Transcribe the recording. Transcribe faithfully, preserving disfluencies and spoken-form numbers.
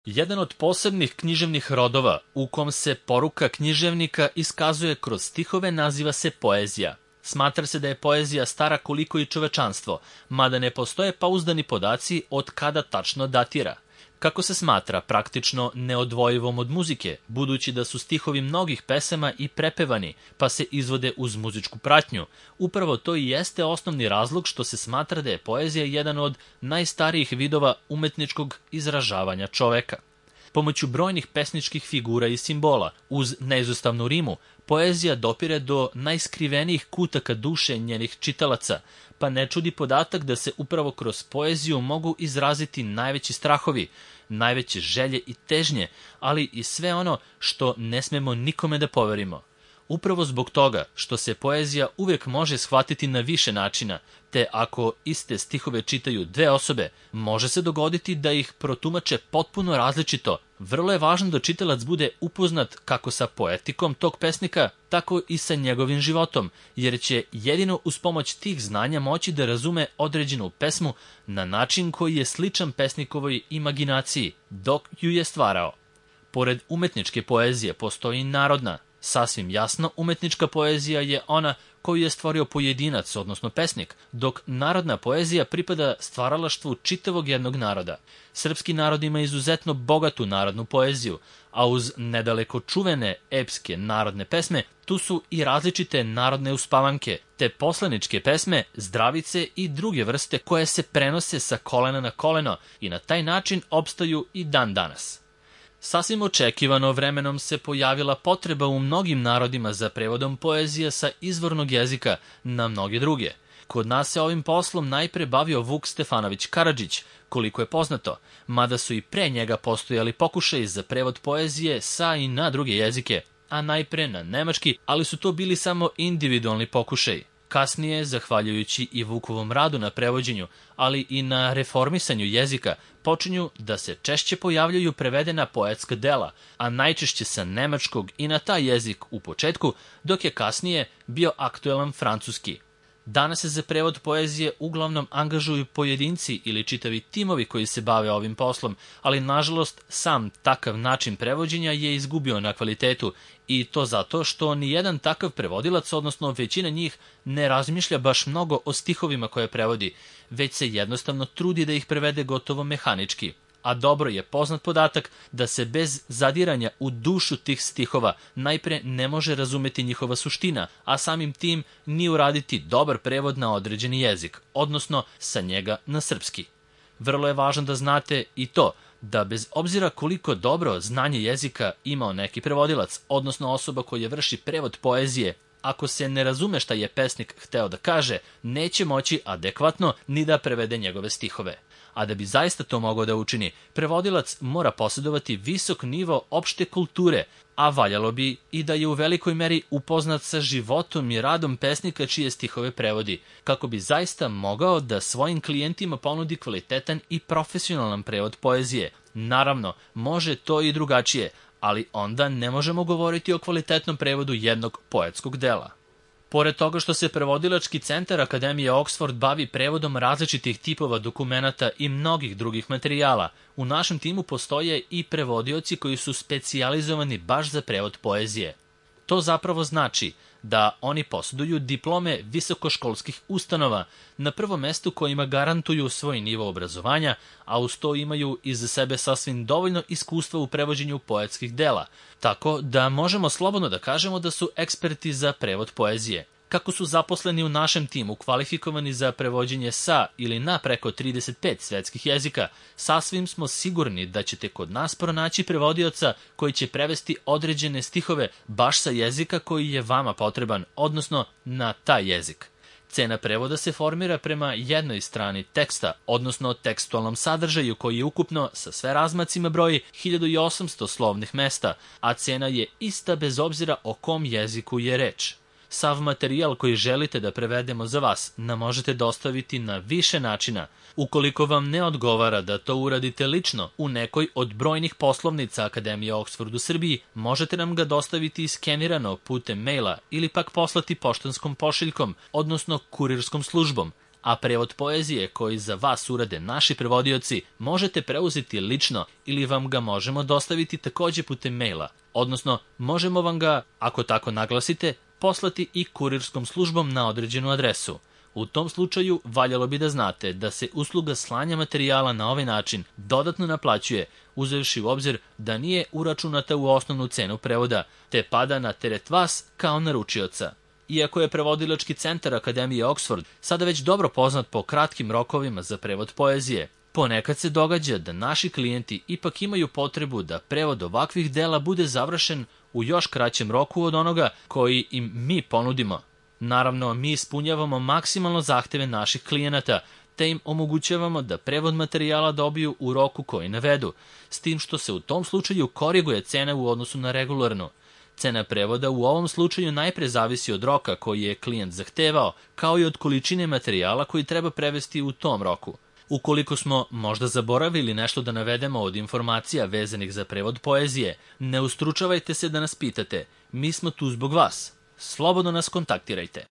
Jedan od posebnih književnih rodova u kom se poruka književnika iskazuje kroz stihove naziva se poezija. Smatra se da je poezija stara koliko i čovečanstvo, mada ne postoje pouzdani podaci od kada tačno datira. Kako se smatra praktično neodvojivom od muzike, budući da su stihovi mnogih pesama i prepevani, pa se izvode uz muzičku pratnju, upravo to i jeste osnovni razlog što se smatra da je poezija jedan od najstarijih vidova umetničkog izražavanja čoveka. Pomoću brojnih pesničkih figura i simbola, uz neizostavnu rimu, poezija dopire do najskrivenijih kutaka duše njenih čitalaca, pa ne čudi podatak da se upravo kroz poeziju mogu izraziti najveći strahovi, najveće želje i težnje, ali i sve ono što ne smemo nikome da poverimo. Upravo zbog toga što se poezija uvijek može shvatiti na više načina, te ako iste stihove čitaju dve osobe, može se dogoditi da ih protumače potpuno različito. Vrlo je važno da čitalac bude upoznat kako sa poetikom tog pesnika, tako i sa njegovim životom, jer će jedino uz pomoć tih znanja moći da razume određenu pesmu na način koji je sličan pesnikovoj imaginaciji, dok ju je stvarao. Pored umetničke poezije postoji narodna. Sasvim jasno, umetnička poezija je ona koju je stvorio pojedinac, odnosno pesnik, dok narodna poezija pripada stvaralaštvu čitavog jednog naroda. Srpski narod ima izuzetno bogatu narodnu poeziju, a uz nedaleko čuvene epske narodne pesme, tu su i različite narodne uspavanke, te poslaničke pesme, zdravice i druge vrste koje se prenose sa kolena na koleno i na taj način opstaju i dan danas. Sasvim očekivano vremenom se pojavila potreba u mnogim narodima za prevodom poezije sa izvornog jezika na mnoge druge. Kod nas se ovim poslom najpre bavio Vuk Stefanović Karadžić, koliko je poznato, mada su i pre njega postojali pokušaji za prevod poezije sa i na druge jezike, a najpre na nemački, ali su to bili samo individualni pokušaji. Kasnije, zahvaljujući i Vukovom radu na prevođenju, ali i na reformisanju jezika, počinju da se češće pojavljaju prevedena poetska dela, a najčešće sa nemačkog i na taj jezik u početku, dok je kasnije bio aktuelan francuski. Danas se za prevod poezije uglavnom angažuju pojedinci ili čitavi timovi koji se bave ovim poslom, ali nažalost sam takav način prevođenja je izgubio na kvalitetu i to zato što nijedan takav prevodilac, odnosno većina njih, ne razmišlja baš mnogo o stihovima koje prevodi, već se jednostavno trudi da ih prevede gotovo mehanički. A dobro je poznat podatak da se bez zadiranja u dušu tih stihova najpre ne može razumeti njihova suština, a samim tim ni uraditi dobar prevod na određeni jezik, odnosno sa njega na srpski. Vrlo je važno da znate i to da bez obzira koliko dobro znanje jezika imao neki prevodilac, odnosno osoba koja vrši prevod poezije, ako se ne razume šta je pesnik hteo da kaže, neće moći adekvatno ni da prevede njegove stihove. A da bi zaista to mogao da učini, prevodilac mora posjedovati visok nivo opšte kulture, a valjalo bi i da je u velikoj meri upoznat sa životom i radom pesnika čije stihove prevodi, kako bi zaista mogao da svojim klijentima ponudi kvalitetan i profesionalan prevod poezije. Naravno, može to i drugačije, ali onda ne možemo govoriti o kvalitetnom prevodu jednog poetskog dela. Pored toga što se prevodilački centar Akademije Oxford bavi prevodom različitih tipova dokumenata i mnogih drugih materijala, u našem timu postoje i prevodioci koji su specijalizovani baš za prevod poezije. To zapravo znači da oni posjeduju diplome visokoškolskih ustanova, na prvom mestu kojima garantuju svoj nivo obrazovanja, a uz to imaju iza sebe sasvim dovoljno iskustva u prevođenju poetskih dela, tako da možemo slobodno da kažemo da su eksperti za prevod poezije. Kako su zaposleni u našem timu kvalifikovani za prevođenje sa ili na preko trideset pet svetskih jezika, sasvim smo sigurni da ćete kod nas pronaći prevodioca koji će prevesti određene stihove baš sa jezika koji je vama potreban, odnosno na taj jezik. Cena prevoda se formira prema jednoj strani teksta, odnosno tekstualnom sadržaju koji je ukupno sa sve razmacima broji hiljadu osamsto slovnih mesta, a cena je ista bez obzira o kom jeziku je reč. Sav materijal koji želite da prevedemo za vas nam možete dostaviti na više načina. Ukoliko vam ne odgovara da to uradite lično u nekoj od brojnih poslovnica Akademije Oxford u Srbiji, možete nam ga dostaviti skenirano putem maila ili pak poslati poštanskom pošiljkom, odnosno kurirskom službom. a prevod poezije koji za vas urade naši prevodioci možete preuzeti lično ili vam ga možemo dostaviti takođe putem maila, odnosno možemo vam ga, ako tako naglasite, poslati i kurirskom službom na određenu adresu. U tom slučaju valjalo bi da znate da se usluga slanja materijala na ovaj način dodatno naplaćuje, uzevši u obzir da nije uračunata u osnovnu cenu prevoda, te pada na teret vas kao naručioca. Iako je prevodilački centar Akademije Oxford sada već dobro poznat po kratkim rokovima za prevod poezije, ponekad se događa da naši klijenti ipak imaju potrebu da prevod ovakvih dela bude završen u još kraćem roku od onoga koji im mi ponudimo. Naravno, mi ispunjavamo maksimalno zahteve naših klijenata, te im omogućavamo da prevod materijala dobiju u roku koji navedu, s tim što se u tom slučaju koriguje cena u odnosu na regularnu. Cena prevoda u ovom slučaju najpre zavisi od roka koji je klijent zahtevao, kao i od količine materijala koji treba prevesti u tom roku. Ukoliko smo možda zaboravili nešto da navedemo od informacija vezanih za prevod poezije, ne ustručavajte se da nas pitate, mi smo tu zbog vas. Slobodno nas kontaktirajte.